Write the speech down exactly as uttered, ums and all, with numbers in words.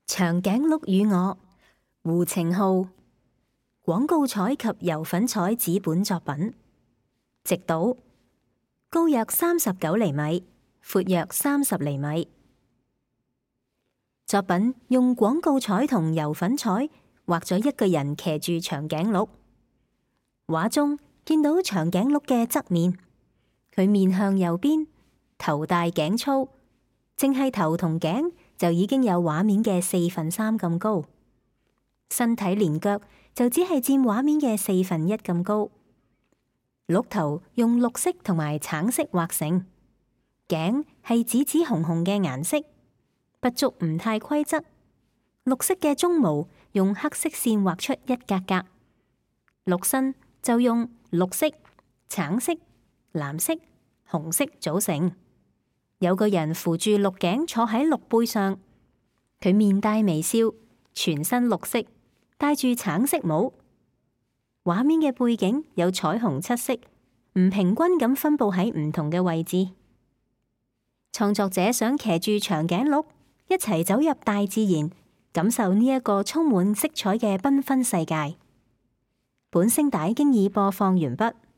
長頸鹿與我，胡晴浩。廣告彩及油粉彩紙本作品，直島，高約三十九厘米，闊約三十厘米。作品用廣告彩同油粉彩畫咗一個人騎住長頸鹿。畫中見到長頸鹿嘅側面，佢面向右邊，頭大頸粗，淨係頭同頸就已經有畫面嘅四分三咁高，身體連腳就只係佔畫面嘅四分一咁高。鹿頭用綠色同埋橙色畫成，頸係紫紫紅紅嘅顏色，不足唔太規則。綠色嘅鬃毛用黑色線畫出一格格，鹿身就用綠色、橙色、藍色、紅色組成。有個人扶住鹿頸坐喺鹿背上，佢面帶微笑，全身綠色，戴住橙色帽。畫面嘅背景有彩虹七色，唔平均咁分佈喺唔同嘅位置。創作者想騎住長頸鹿一齊走入大自然，感受呢一個充滿色彩嘅繽紛世界。本聲帶經已播放完畢。